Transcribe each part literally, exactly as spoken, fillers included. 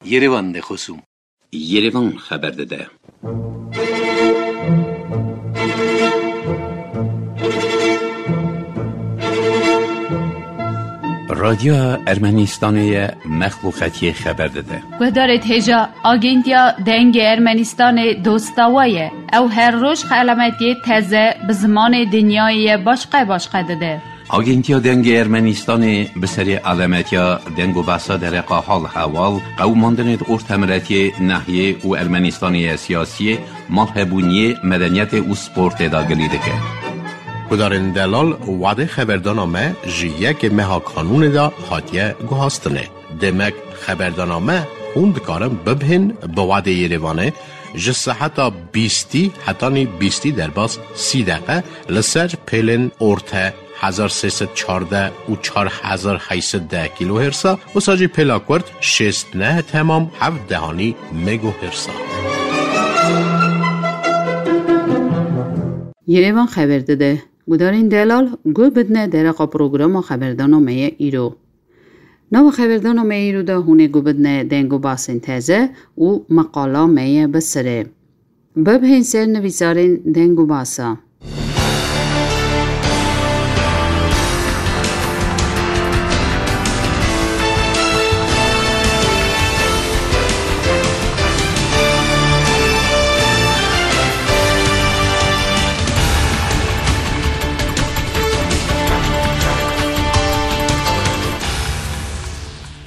Yerevan de xosûm. Yerevan xeber dide. Radyoya Ermenistanê ye, mexluqetiyê xeber dide. Guhdarê hêja, Agentiya Dengê Ermenistanê dosta we ye. Ew her roj xelametiyê teze bi zimanê dinyayê ye başqe başqe dide. Agentiya Dengê Ermenistanê bi serê alemetiya deng û behsa dereqa hal hewal, qewimandinê di ortemiletiyê, nehiyê û Ermenistanê ye siyasiyê, malhebûniyê, medeniyetê û sportê de gilî dike. Gudarên delal, wadê xeberdana me ji yekê meha kanûnê de hatiye guhastinê. Demek xeberdana me hûn dikarin bibihên bi wadê Yerevanê ji seheta bîstî hetanî bîstî derbas sî deqe li ser pêlên orte hezar sê sed çardeh û çar hezar heyt sed deh kîlohêrsa, wisa jî pêla kurt şêst neh temam heft dehanî megohêrsa. Yerevan xeber dide. Gudarên delal, guh bidine dereqa programa xeberdana me ye îro. Nava xeberdana me îro de hûn ê guh bidine deng û basên teze û meqala me ye bi sirê. Bibihên ser nivîsarên deng û basa.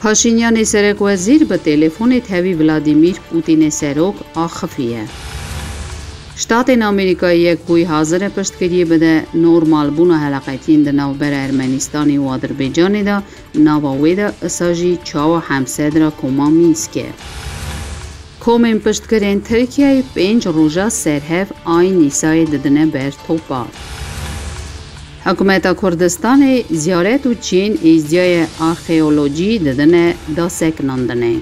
Paşînyanê serekwezîr bi telefonê tevî Vladimîr Pûtînê serok axifiye. Ştatên Amerîkayê Yekbûyî hazir e piştgiriyê bide normalbûna heleqetiyên di navbera Ermenistanê û Adirbaycanê de, nava wê de isa jî çawa hemsedra koma Mînskê. Komên piştgirên Tirkiyeyê pênc roja serhev Ayn Nîsayê didine ber topa. Hikûmeta Kurdistanê ziyaret û çiyên êzdiyayê arxeolojî didine dasekinandinê.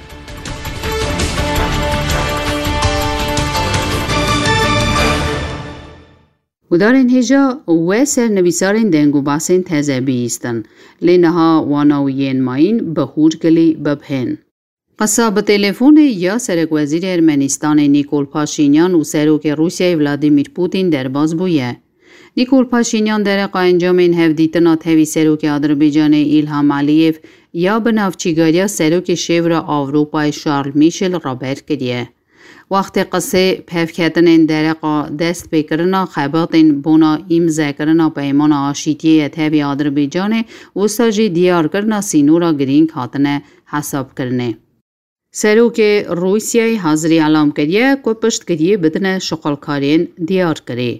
Gudarên hêja, we ser nivîsarên deng û basên teze bihîstin, lê niha wana wî yên mayîn bi hûr gilî bibihên. Qisa bi telefonê ya serekwezîrê Ermenistanê Nîkol Paşînyan û serokê Rûsyayê Vladimîr Pûtîn derbas bûye. Nîkol Paşînyan dereqa encamên hevdîtina tevî serokê Adirbaycanê Îlham Aliyev ya bi navçîgariya serokê Şêwra Ewropayê Charles Michel raber kiriye. Wextê qisê pevketinên dereqa destpêkirina xebatên bona îmzekirina peymana aşîtiyê ye tevî Adirbaycanê, wisa jî diyarkirina sînora girîng hatine hesabkirinê. Serokê Rûsyayê hazirî elam kiriye ku piştgiriyê bidine şixulkariyên diyarkirî.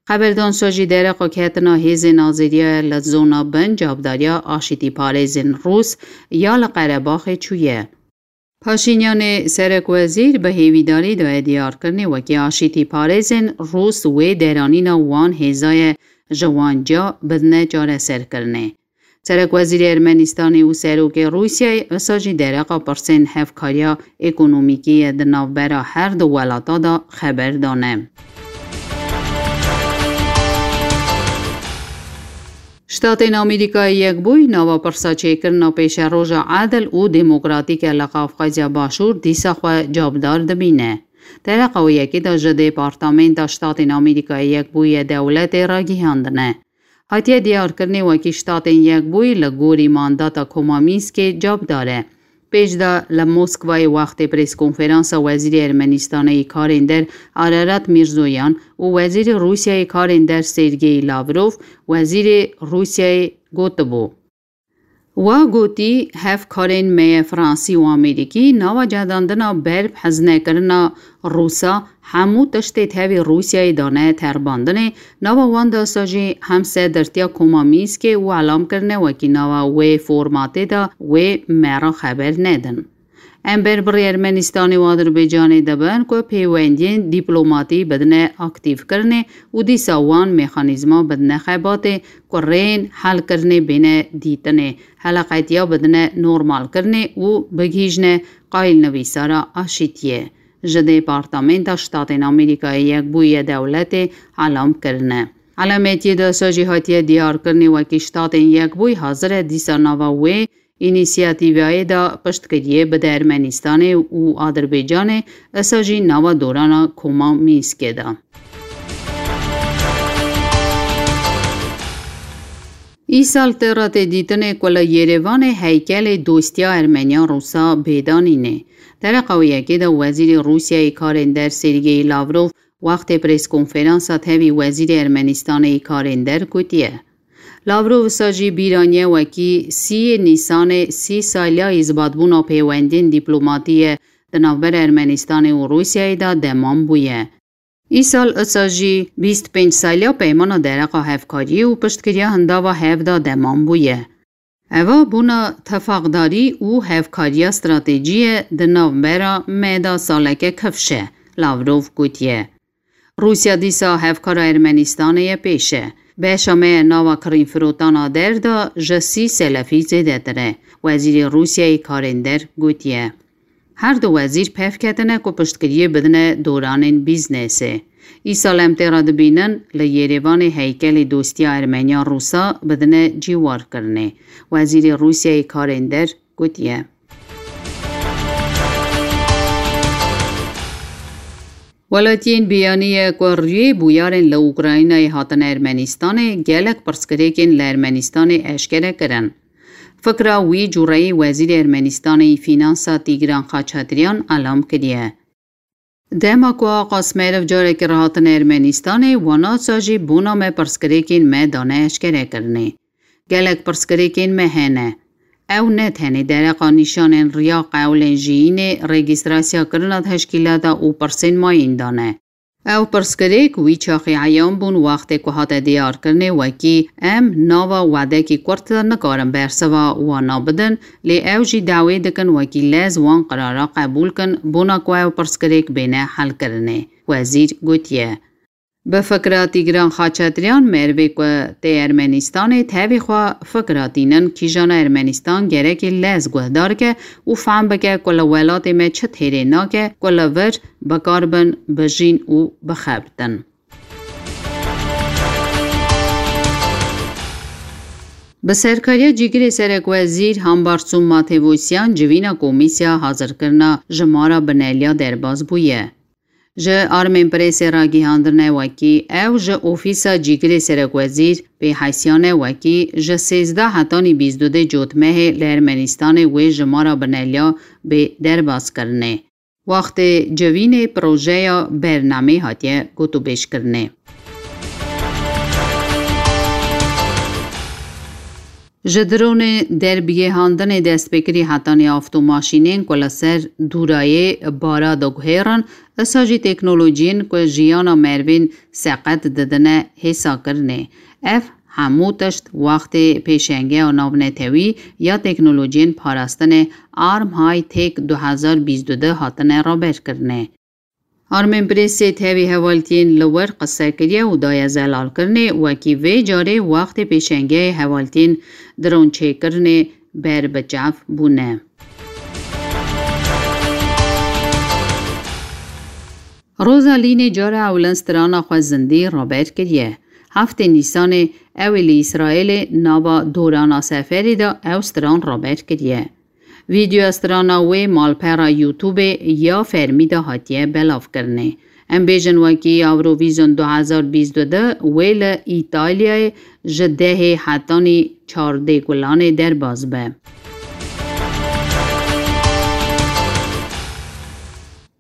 Xeberdan sa jî dereqa ketina hêzên azêriyayê li zona bin cavdariya aşîtîparêzên Rûs ya li Qerebaxê çûye. Paşînyanê serekwezîr bi hêvîdarî daye diyarkirinê wekî aşîtîparêzên Rûs wê deranîna wan hêzaye ji wan ca bidine çareserkirinê. Serekwezîrê Ermenistanê û serokê Rûsyayê wisa jî dereqa pirsên hevkariya ekonomîkî ye di navbera her du welata de xeber dane. Ştatên Amerîkayê Yekbûyî nava pirsa çêkirina pêşeroja edil û demokratîk e li Qafqazya Başûr dîsa xwe cabdar dibîne. Dereqa wê yekê de ji Departamenta Ştatên Amerîkayê Yekbûyî ye dewletê ragihandine. Hatiye diyarkirinê wekî Ştatên Yekbûyî li gorî mandata Koma Mînskê cabdar e. Pêş de li Moskwayê wextê preskonferansa Wezîrê Ermenistanê yê Karên Der Ararat Mîrzoyan û Wezîrê Rûsyayê Karên Der Sergey Lavrov, Wezîrê Rûsyayê gotibû. Wa gotî, hevkarên me yê Fransî û Amerîkî nava cedandina ber bi hezînekirina Rûsa hemû tiştê tevî Rûsyayê dane terbandinê, nava wan de sa jî hemsedirtiya Koma Mînskê û elam kirine wekî nava wê formatê de wê me re xeber nedin. Em ber bi rê Ermenistanê û Adirbaycanê dibin ku pêwendiyên dîplomatî bidine aktîfkirinê û dîsa wan mexanîzma bidine xebatê ku rêyên helkirinê bêne dîtinê, heleqetiya bidine normalkirinê û bigihîjine qayîlnivîsara aşîtiyê. Ji Departamenta Ştatên Amerîkayê Yekbûyî yê dewletê elam kirine. Helametiyê de sa jî hatiye diyarkirinê wekî Ştatên Yekbûyî hazir e dîsa nava wê înîsiyatîvayê de piştgiriyê bide Ermenistanê û Adirbaycanê, esa jî nava dorana Koma Mînskê de. Îsal tê re tê dîtinê ku li Yêrêvanê heykelê dostiya Ermeniya Rûsa bê danînê. Dereqa wê yekê de Wezîrê Rûsyayê Karên Der Sergey Lavrov wextê preskonferansa tevî Wezîrê Ermenistanê yê Karên Der gotiye. Lavrov wisa jî bîr aniye wekî sîyê Nîsanê sî saliya îzbatbûna pêwendiyên dîplomatî ye di navbera Ermenistanê û Rûsyayê de demam bûye. Îsal isa jî bîst pênc saliya peymana dereqa hevkariyê û piştgiriya hindava hev de demam bûye. Eva bûna tifaqdarî û hevkariya stratejî ye di navbera me de saleke kifş e, Lavrov gotiye. Rûsya dîsa hevkara Ermenistanê ye pêş e. Beşa me ya nava kirînfirotana der de ji sî selefî zêdetir e, Wezîrê Rûsyayê Karên Der gotiye. Her du wezîr pev ketine ku piştgiriyê bidine doranên bîznesê. Îsal em tê re dibînin li Yêrêvanê heykelê dostiya Ermeniya Rûsa bidine cîwarkirinê. Wezîrê Rûsyayê Karên Der gotiye. Welatiyên biyaniye ku rûyê bûyarên li Ukraynayê hatine Ermenistanê gelek pirsgirêkên li Ermenistanê eşkere kirin. Fikra wî cureyî Wezîrê Ermenistanê yî Fînansa Tîgran Xaçatryan elam kiriye. Dema ku Aqa Smerov carekî re hatine Ermenistanê, wana sa jî bona me pirsgirêkên me dane eşkerekirinê. Gelek pirsgirêkên me hene. Ew ne tenê dereqa nîşanên riya qewlên jiyînê, registrasyakirina teşkîlata û pirsên mayîn dane. Ew pirsgirêk wî çaxî eyan bûn wextê ku hate diyarkirinê wekî em nava wedekî kurt de nikarin bersiva wana bidin, lê ew jî dawê dikin wekî lez wan qirara qebûl kin, bona ku ew pirsgirêk bêne helkirinê, wezîr gotiye. Bi fikra Tîgran Xaçatryan merivê ku tê Ermenistanê tevî xwe fikra tînin kîjana Ermenistan gerekê lez guhdar ke û fehm bike ku li welatê me çi têrê nake ku li vir bikaribin, bijîn û bixebitin. Bi serkariya cîgirê serekwezîr Hambarsûm Matevosyan civîna komîsya hazirkirina jimara bineliya derbas bûye. Ji Armên Presê ragihandine wekî ew ji ofîsa cîgirê serekwezîr pê hesyane wekî ji sêzdeh hetanî bîst û du Cotmehê li Ermenistanê wê jimara bineliya bê derbaskirinê. Wextê civînê projeya bernameyê hatiye gotûbêjkirinê. Ji dronê derbigêhandinê destpêkirî hetanî avtomaşînên ku li ser dûrayê bara diguhêrin, isa jî teknolojiyên ku jiyana merivên seqet didine hêsakirinê. Ev hemû tişt wextê pêşengeya navnetewî ya teknolojiyên parastinê Armhay Tech du hezar bîst û du hatine raberkirinê. Armên Presê tevî hevaltiyên li wir qise kiriye û daye zelalkirinê, wekî vê carê wextê pêşengeyê hevaltiyên dronçêkirinê ber bi çav bûne. Roza Lînê cara ewlin strana xwe zindî raber kiriye. Heftê Nîsanê ew ê li Îsraîlê nava dorana seferê de ew stran raber kiriye. Vîdeoya strana wê malpera YouTubeê ya fermî de hatiye belavkirinê. Em bêjin wekî Eurovision du hezar bîst û du wê li Îtalyayê ji dehê hetanî çardê Gulanê derbas be.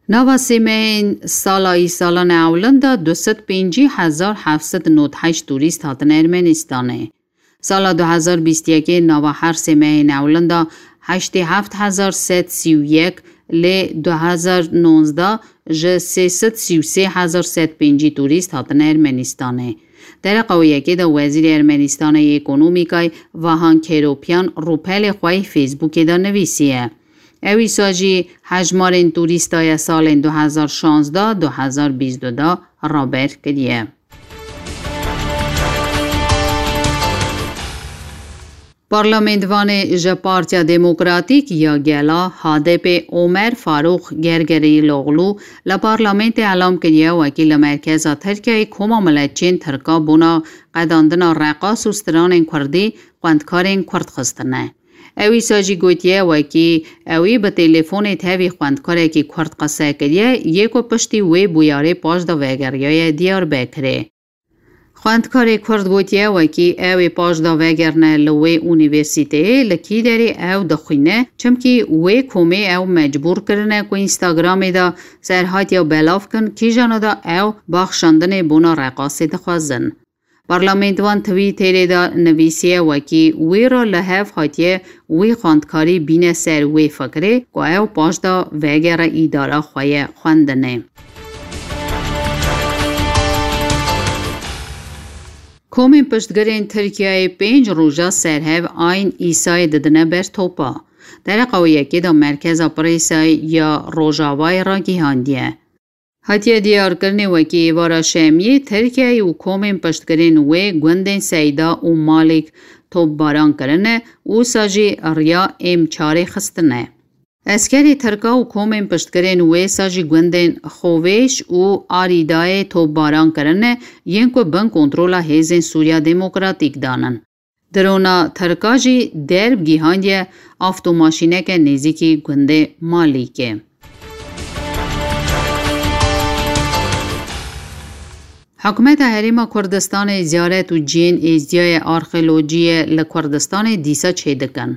Nava sê mehên sala îsalana ewlin de du sed pêncî hezar heft sed nod heşt turîst hatine Ermenistanê. Sala du hezar bîst yekê nava her sê mehên ewlin de heştê heft hezar sed sî û yek lê du hezar nonzdeh ji sê sed sî û sê hezar sed pêncî turîst hatine Ermenistanê. Dereqa wê yekê de Wezîrê Ermenistanê yê Ekonomîkayê Vahan Keropyan rûpelê xwe yê Facebookê de nivîsiye. Ew îsa jî hejmarên turîsta ya salên du hezar şazdeh du hezar bîst û du raber kiriye. Parlamenvanê ji Partiya Demokratîk ya Gela, H D P, Omer Farûq Gergerîloglu li parlamentê elam kiriye wekî li merkeza Tirkiyeyê Koma Miletçiyên Tirka bona qedandina reqas û stranên kurdî xwendkarên kurd xistine. Ewî sa jî gotiye wekî ewî bi telefonê tevî xwendkarekî kurd qise kiriye, yê ku piştî wê bûyarê paş de vegeriyaye Diyarbekirê. Xwendkarê kurd gotiye wekî ew ê paş de vegerine li wê unîversîteyê, li kî derê ew dixwîne, çimkî wê komê ew mecbûr kirine ku Instagramê de serhatiya belav kin, kîjana de ew baxşandinê bona reqasê dixwazin. Parlamentvan Twitterê de nivîsiye wekî wî re li hev hatiye wî xwendkarî bîne ser wê fikirê ku ew paş de vegere îdara xwe ye xwendinê. Komên piştgirên Tirkiyeyê pênc roja serhev Ayn Îsayê didine ber topa. Dereqa wê yekê de Merkeza Presayê ya Rojavayê ragihandiye. Hatiye diyarkirinê wekî êvara Şemiyê, Tirkiyeyê û komên piştgirên wê gundên Seyda û Malîk topbaran kirine û wisa jî riya M çarê xistine. Eskerê Tirka û komên piştgirên wê sa jî gundên Xovêş û Arîdayê topbaran kirine, yên ku bin kontrola hêzên Sûriya Demokratîk danin. Drona Tirka jî derb gihandiye avtomaşîneke nêzîkî gundê Malîkê. Hikûmeta Herêma Kurdistanê ziyaret û cihên êzdiyayê arxeolojiyê li Kurdistanê dîsa çêdikin.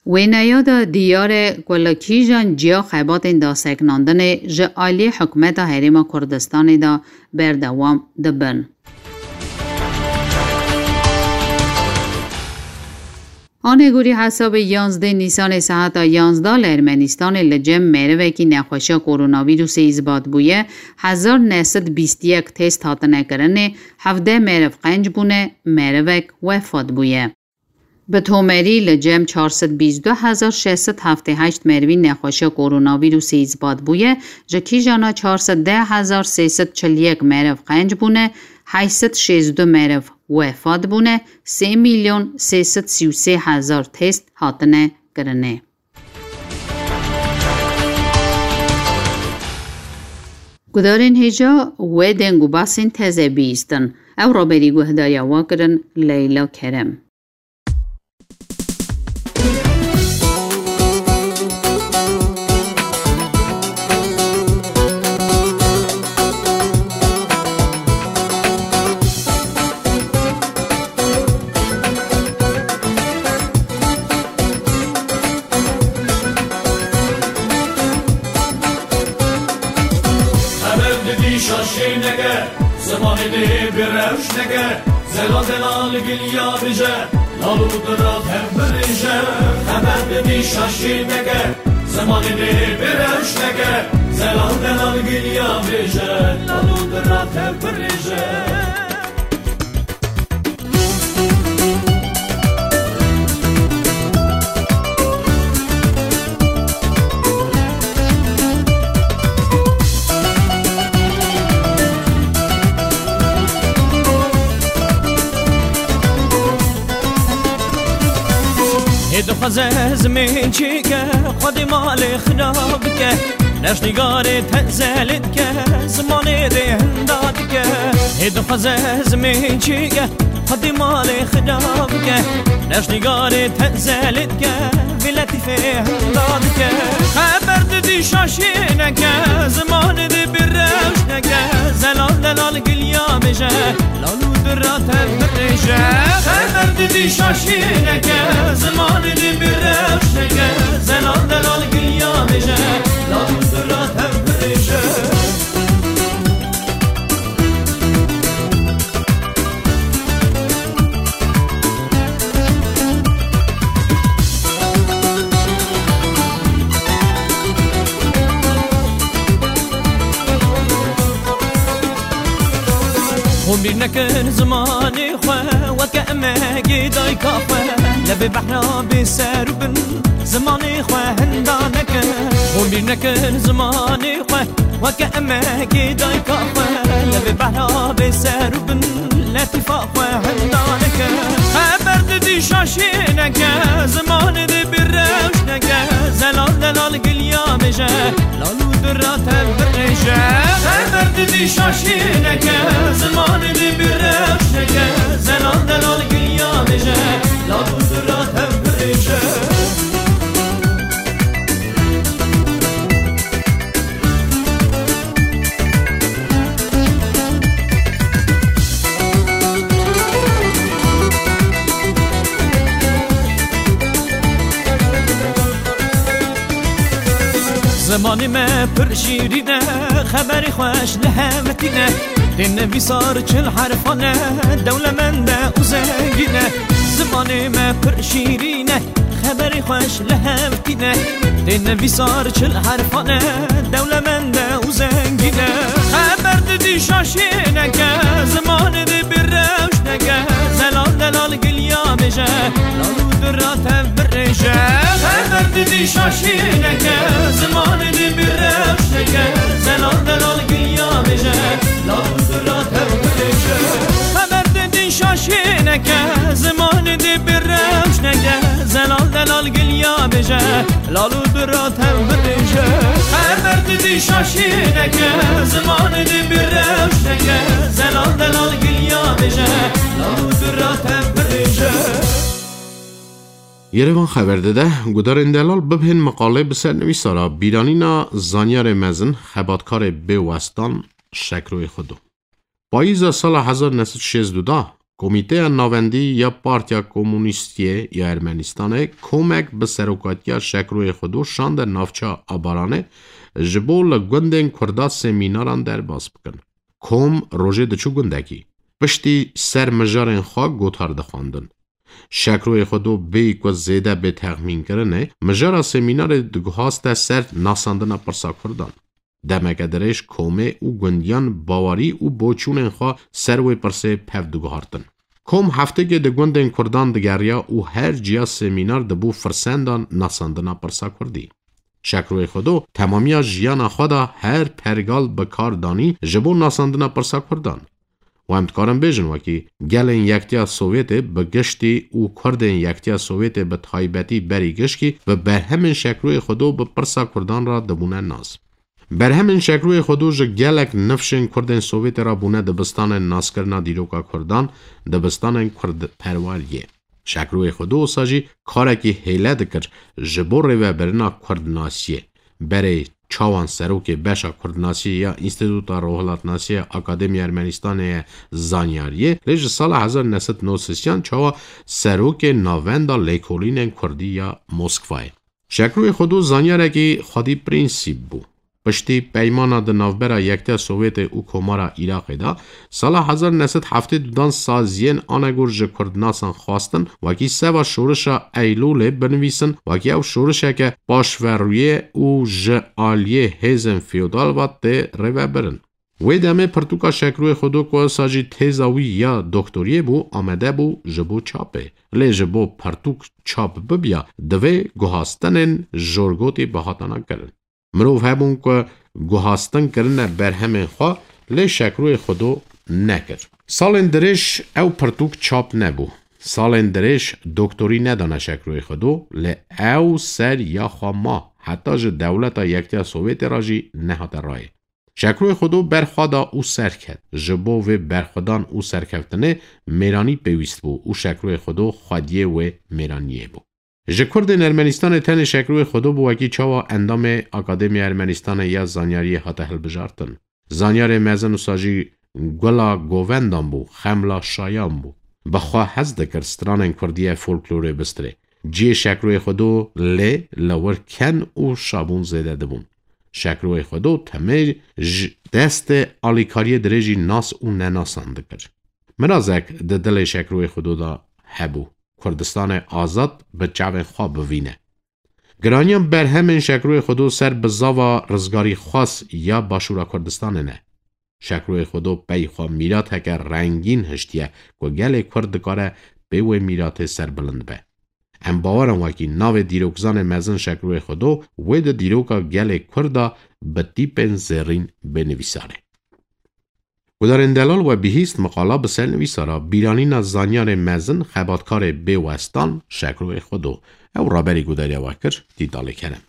Wêneya de diyar e ku li kîjan ciya xebatên daseknandinê ji aliyê Hikûmeta Herêma Kurdistanê de berdewam dibin. Anegorî hesabê yanzdeh Nîsanê saeta yanzdeh li Ermenîstanê li cem merivekî nexweşiya koronavîrusê îsbat bûye, hezar neh sed bîst yek test hatine kirinê, hevdeh meriv qenc bûne, merivek wefat bûye. Bi tomerî li cem çar sed bîst du hezar şeş sed heftê heşt merivî nexweşiya koronavîrusê îsbat bûye, ji kîjana çar sed deh hezar sê sed çil yek meriv qenc bûne, heşt sed şêst du meriv wefat bûne, sê milyon sê sed sî û sê hezar test hatine kirinê. Gudarên hêja wê deng û basên teze bihîstin. Ew raberî guhdariya we kirin Leyla Kerem. Xeber didî şaşê neke, zimanê dê bi rewş neke, zelal delal giliya bije, lal û dirat hev birêje. Xeber didî şaşê neke, zimanê dê bi rewş neke, zelal delal giliya bije, lal û dirat hev birêje. Hê dixwaze zimên çêke, xwedî malê xira bike. Reşnîgarê tezelê dike, zimanê rê hinda dike. Hê dixwaze zimên çêke, xwedî malê xira bike. Reşnîgarê tezelê dike, vî letîfê hinda dike. Xeber didî şaşê neke, zimanê dê bi rewş neke. Zelal delal giliya bêje, lal û dirat hev birêje. Xeber didî şaşê neke, zimanê dê bi rewş neke. Zelal delal giliya bêje, lal û dirat hev birêje. Hûn bîr nekin zimanê xwe, weke emegê dayka xwe. Levê behra bê ser û bin, zimanê xwe hinda nekin. Hûn bîr nekin zimanê xwe, weke emegê dayka xwe. Levê behra bê ser û bin, letîfa xwe hinda nekin. Xeber Dîşa şêneke, zimanê dê bi rewşneke, zelal delal giliya bêje, lal û dura tev birêje. Xeber didî şaşêneke, zimanê dê bi rewşneke, zelal delal giliya bêje, lal û dura tev birêje. Zimanê me pir şîrîn e, xeberê xweş li hev tîne. Tê nivîsar çil herfan e, dewlemend e û zengîn e. Zimanê me pir şîrîn e, xeberê xweş li hev tîne. Tê nivîsar çil herfan e, dewlemend e û zengîn e. Xeber didî şaşêneke, zimanê dê bi rewşneke, zelal delal giliya bêje, lal û dura tev birêje. Xeber didî şaşêneke, zimanê dê bi rewşneke, zelal delal giliya bêje, lal û dura tev birêje. Xeber didî şaşêneke, zimanê dê bi rewşneke, zelal delal giliya bêje, lal û dura tev birêje. Xeber didî şaşêneke, zimanê dê bi rewşneke, zelal delal giliya bêje, lal û dura tev birêje. Yerevan xeber dide, gudarên delal bibhên miqalê bi ser nivîsara bîranîna zanyarê mezin, xebatkarê bêwestan Şekroyê Xwedo. Payîza sala hezar neh sed şêst û du da, Komîteya Navendî ya Partiya Komunîstiyê ya Ermenistanê komek bi serokatiya Şekroyê Xwedo şande navça Abaranê ji bo li gundên Kurda semînaran derbas bikin. Kom rojê diçû gundekî. Piştî ser mijarên xwe gotar dixwendin. Şekroyê Xwedo bêyî ku zêde bê texmînkirinê, mijara semînarê diguhaste ser nasandina pirsa Kurdan. Demeke dirêj komê û gundiyan bawerî û boçûnên xwe ser wê pirsê pev diguhartin. Kom heftêkê di gundên Kurdan digeriya û her ciya semînar dibû firsendan nasandina pirsa Kurdî. Şekroyê Xwedo temamiya jiyana xwe de her pergal bi kar danî ji bo nasandina pirsa Kurdan. Û em dikarin bêjin wekî gelên Yektiya Sovyetê bi giştî û Kurdên Yektiya Sovyetê bi taybetî berî gişkî bi berhemên Şekroyê Xwedo bi pirsa Kurdan re dibûne nas. Berhemên Şekroyê Xwedo ji gelek nifşên Kurdên Sovyetê re bûne dibistanên naskirina dîroka Kurdan, dibistanên Kurdperweriyê. Şekroyê Xwedo wisa jî karekî hêle dikir ji bo rêvebirina Kurdnasiyê. Berê çawan serokê beşa Kurdnasiyê ya Înstîtuta Rojhilatnasiyê ya Akademiya Ermenistanê ye zanyariyê, lê ji sala hezar neh sed nod sisiyan çawa serokê Navenda Lêkolînên Kurdî ya Moskwayê. Şekroyê Xwedo zanyarekî xwedî prensîp bû. Piştî peymana di navbera Yektiya Sovyetê û Komara Iraqê de, sala hezar neh sed heftê û dudan saziyên anegor ji kurdnasan xwestin, wekî seva şorişa Eylûlê binivîsin, wekî ew şorişeke paşverûyê û ji aliyê hêzên feodal ve tê rêvebirin. Wê demê pirtûka Şekroyê Xwedo ku wisa jî têza wî ya doktoriyê bû, amade bû ji bo çapê. Lê ji bo pirtûk çap bibiya, divê guhastinên jorgotî bihatana kirin. Mirov hebûn ku guhastin kirine berhemên xwe, lê Şekroyê Xwedo nekir. Salên dirêj ew pirtûk çap nebû. Salên dirêj doktorî nedane Şekroyê Xwedo, lê ew ser ya xwe ma, heta ji dewleta Yektiya Sovyetê re jî nehate rayê. Şekroyê Xwedo berxwe da û serket. Ji bo vê berxwedan û serkeftinê mêranî pêwîst bû û Şekroyê Xwedo xwediyê wê mêraniyê bû. Ji Kurdên Ermenistanê tenê Şekroyê Xwedo bû wekî çawa endamê Akademiya Ermenistanê ya Zanyariyê hate hilbijartin. Zanyarê mezin wisa jî gula govendan bû, xemla şayan bû. Bi xwe hez dikir stranên kurdî ye folklorê bistirê. Cihê Şekroyê Xwedo lê li wir ken û şabûn zêde dibûn. Şekroyê Xwedo temê ji destê alîkariyê dirêjî nas û nenasan dikir. Mirazek di dilê Şekroyê Xwedo de hebû. Kurdistanê azad bi çavên xwe bivîne. Giraniya berhemên Şekroyê Xwedo ser bizava rizgarîxwaz ya Başûra Kurdistanê ne. Şekroyê Xwedo pey xwe mîrateke rengîn hiştiye ku gelê Kurd dikare pê wê mîratê serbilind be. Em bawer in wekî navê dîrokzanê mezin Şekroyê Xwedo wê di dîroka gelê Kurd de bi tîpên zêrîn bê nivîsarê. Gudarên delal we bihîst miqala bi ser nivîsara bîranîna zanyarê mezin xebatkarê bê westan Şekroyê Xwedo. Ew raberî gudariya we kir, Dîdalê Kerem.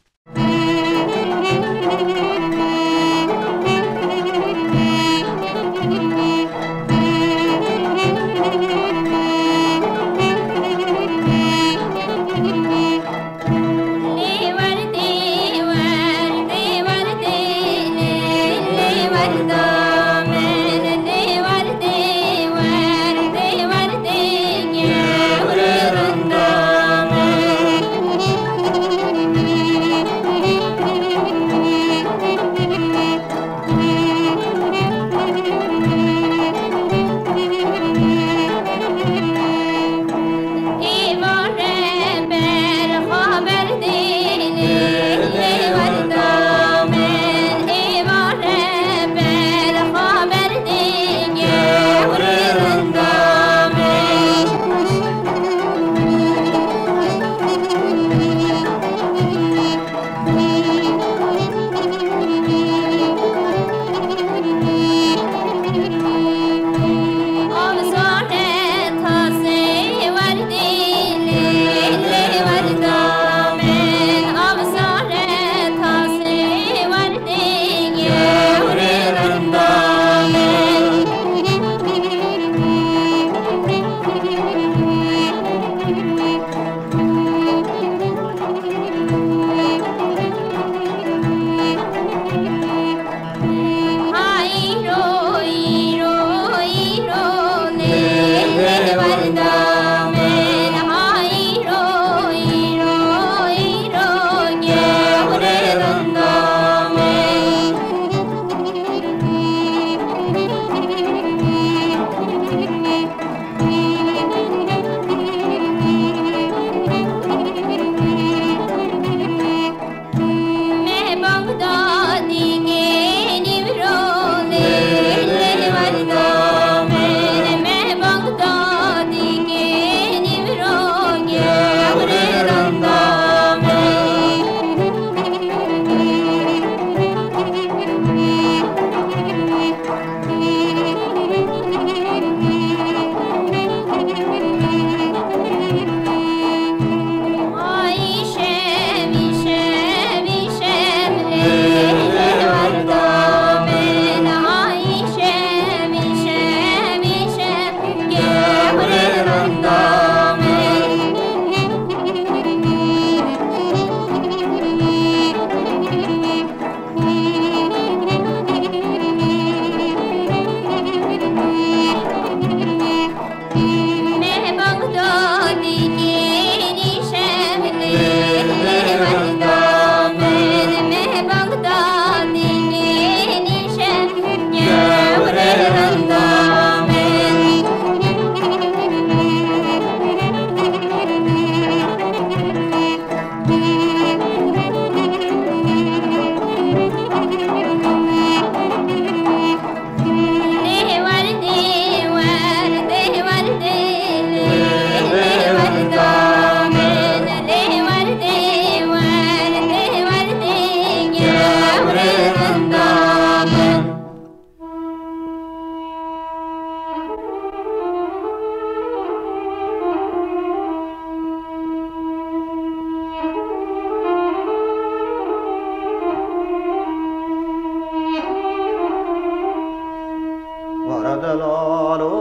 Wara delalo,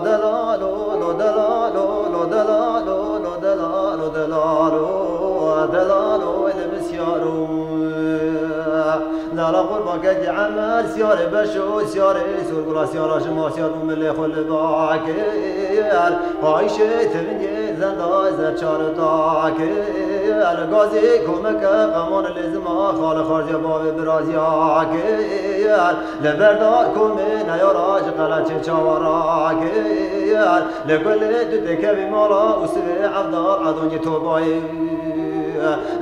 delalo, lo delalo, lo delalo, lo delalo, delalo, delalo, ele misyaro. Lala qurban kekî Emer, siyarê beşo, siyarê sorgula, siyara ji ma siyar û milê xwe li bakir. Ayşê tevingê zenda zer çar dakir. Gazê komeke qeman lêzima, xal xarziya bavê biraziya kir. Li berdar komê neyara ji qeleçê çawa rakir. Li kulê tu têkevî mala û sivê evdar edonî tobayê.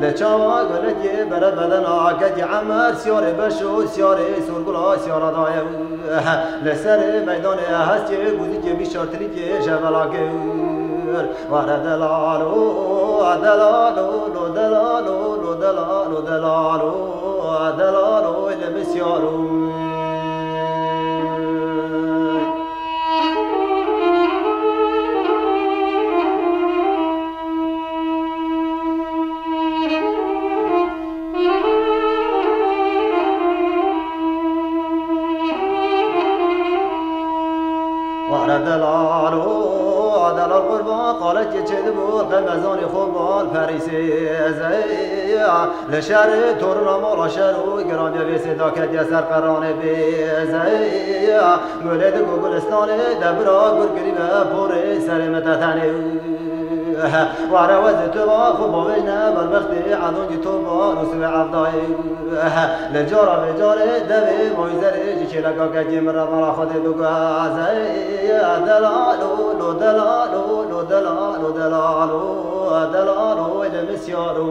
Li çawa gulekê bere bedena kekî Emer, siyarê beşo, siyarê sorgula, siyara daye. Li serê meydanê hestê guzikê bîşartirîkê jevela kir. Were delalo, delalo, lo delalo, lo delalo, delalo, delalo, li misyaro. Xalekê çêdibû qemezanê xwe bal perîsê zeya. Li şerê torina mala şer û giranbiya vê sêda ketiye ser qeranê bê zeya. Gulê di ku gulistanê de bira gur kirî ve porê serê min te tenê. Were wezê tu va xwe bavêjne berbextê edon cî to bar û sivê evdayê. Li cara vê carê devê mawî zerê ji çêleka kekê min re mala Xwedê biguheze. Delalo, lo delalo, lo delalo, delalo, delalo, wê de misyaro.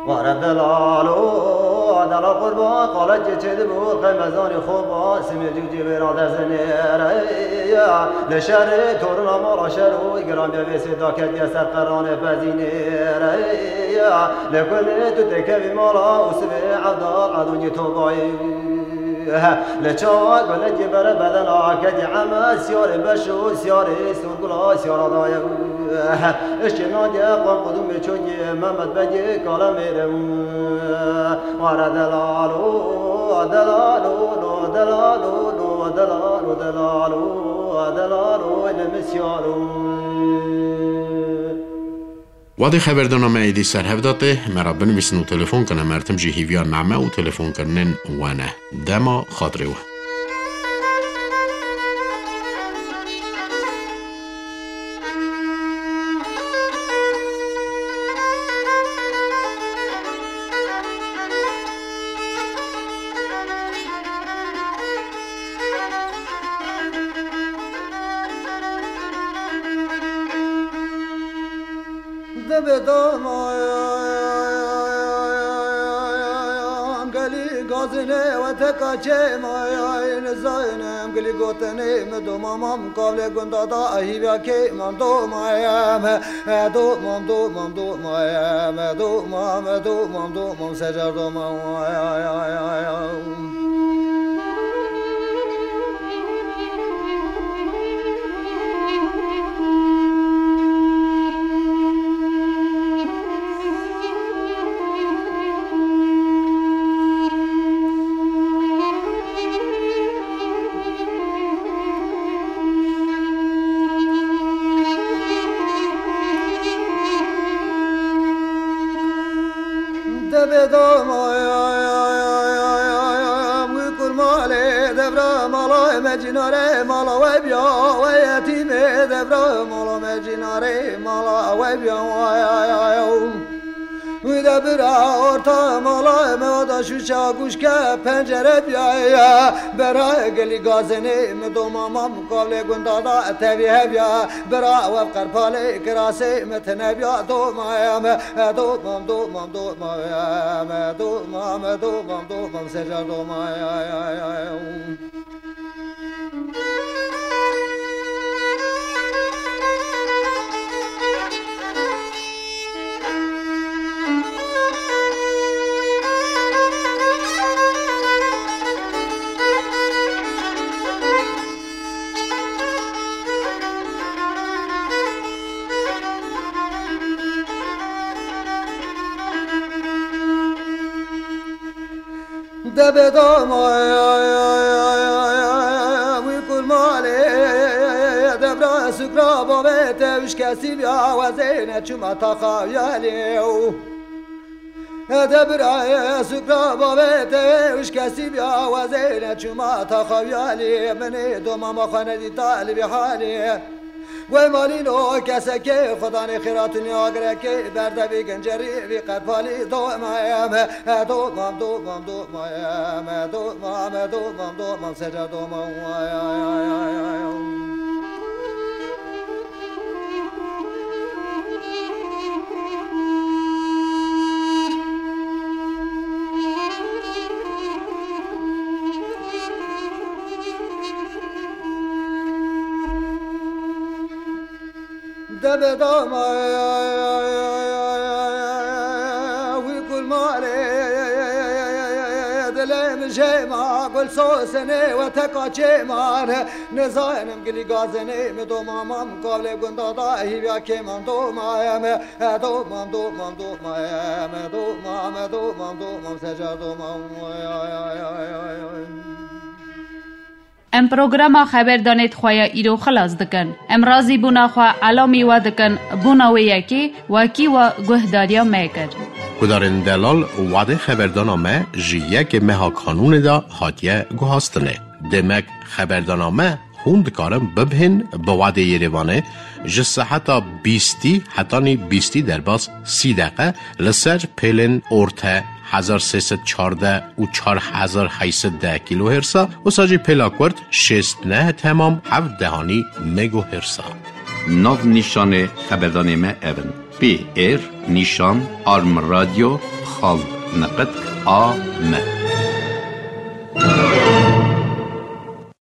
Were delalo, delal qurban, xalekê çêdibû qemezanê xwe ba, simê cûcê wê ra dezinêre. Li şerê torina mala şer û giranbiya vê sêda ketiye ser qeranê pezinêre. Li kulê tu têkevî mala û sivê evdal edon cî to bayî. Li çawa gulekê bere bedena ketî eme, siyarê beş û siyarê sorgula siyara daye. Eşkê nadiye qan qudumê çokê Mehmet Begê kale mêre. Were delalo, delalo, lo delalo, lo delalo, delalo, delalo, wê de misyaro. Wadê xeberdana me êdî ser hev de tê, me re binivîsin û telefon kin, em her tim jî hîviya name û telefonkirinên we ne. Dema xatirê we. Dibê doma gelî gazine we teka çê ma nizayne em gelî gotinê mi doma mam kavlê gunda da hîvya kê mam doma em doma doma doma em doma doma doma secar doma. Dibê doma wî kurmalê devra mala me cînarê mala we biya we yetîmê devra mala me cînarê mala we biya. Wî de bira orta mala me oda şûşa guşke pencere biya. Bera gelî gazinê mi doma mam kavlê gunda da tevî hev ya. Bira we qerpalê kirasê mi tine biya doma em. Domam, domam, domam, domam, domam, domam, secar domam. Debê dama wî kurmalê devra sukra bavê te wişkesî biya wezêne çima taxa yelê. Debra sukra bavê te wişkesî biya wezêne çima taxa yelê. Minê doma ma xwe nedî talibî halê. Wey malîno kesekê xudanê xêratûnî agirekê berdevî gencerî vî qerpalî domam, domam, domam, domam, domam, domam, domam, seca domam. Debê dama wî kurmalê dilê min Sosenê we teka çêmane, nezanim gilî gazenê me domamam kavlê gunda da hîvya kêman domaye me, e, domam, domam, domaye me, domam, e, domam, domam, seca domam, ay, ay, ay, ay, ay, ay. Em programa xeberdanê di xwe ya îro xilas dikin. Em razîbûna xwe elamî we dikin, bona wê yekê wekî we guhdariya me kir. Guhdarên delal, wadê xeberdana me ji yekê meha Kanûnê de hatiye guhastinê. Demek xeberdana me hûn dikarin bibihên bi wadê Yerêvanê ji seheta bîstî hetanî bîstî derbas sî deqe li ser pêlên orte hezar sê sed çardeh û çar hezar heyt sed deh kîlohêrsa, wisa jî pêla kurt şêst neh temam heft dehanî megohêrsa. Nav nîşanê xeberdanê me ev in: P R nîşan arm radio xal niqit a m.